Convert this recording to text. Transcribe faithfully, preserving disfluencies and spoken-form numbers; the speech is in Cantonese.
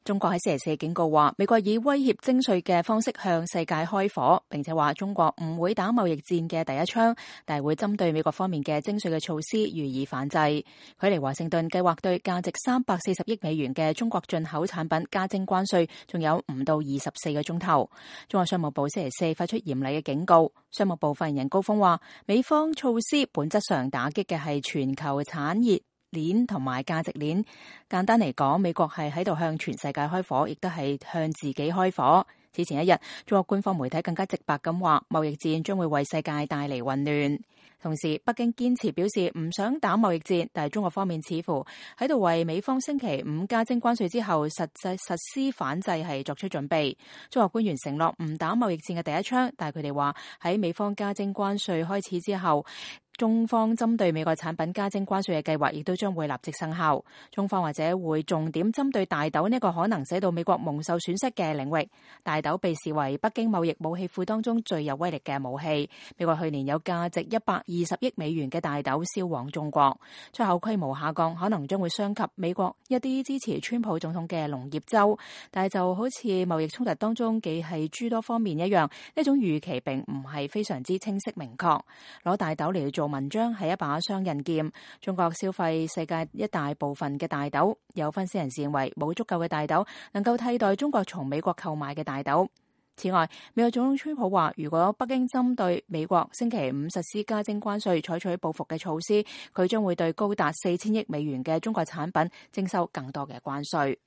中國喺星期四警告話，美國以威脅徵稅嘅方式向世界開火，並且話中國唔會打貿易戰嘅第一槍，但係會針對美國方面嘅徵稅嘅措施予以反制。距離華盛頓計劃對價值三百四十億美元嘅中國進口產品加徵關稅，仲有唔到二十四個鐘頭。中國商務部星期四發出嚴厲嘅警告。商務部發言人高峰話，美方措施本質上打擊嘅係全球產業鏈同埋價值鏈，簡單嚟講，美國係喺度向全世界開火，亦都係向自己開火。此前一日，中國官方媒體更加直白咁話，貿易戰將會為世界帶嚟混亂。同時，北京堅持表示唔想打貿易戰，但係中國方面似乎喺度為美方星期五加徵關稅之後實際實施反制係作出準備。中國官員承諾唔打貿易戰嘅第一槍，但係佢哋話喺美方加徵關稅開始之後，中方針對美國產品加徵關稅嘅計劃亦都將會立即生效。中方或者會重點針對大豆呢個可能使到美國蒙受損失嘅領域。大豆被視為北京貿易武器庫當中最有威力嘅武器。美國去年有價值一百二十億美元嘅大豆銷往中國，出口規模下降可能將會傷及美國一啲支持川普總統嘅農業州。但係就好似貿易衝突當中既係諸多方面一樣，呢種預期並唔係非常之清晰明確。攞大豆嚟做文章係一把雙刃劍。中國消費世界一大部分嘅大豆，有分析人士認為冇足夠嘅大豆能夠替代中國從美國購買嘅大豆。此外，美國總統川普話，如果北京針對美國星期五實施加徵關稅採取報復嘅措施，佢將會對高達四千億美元嘅中國產品徵收更多嘅關稅。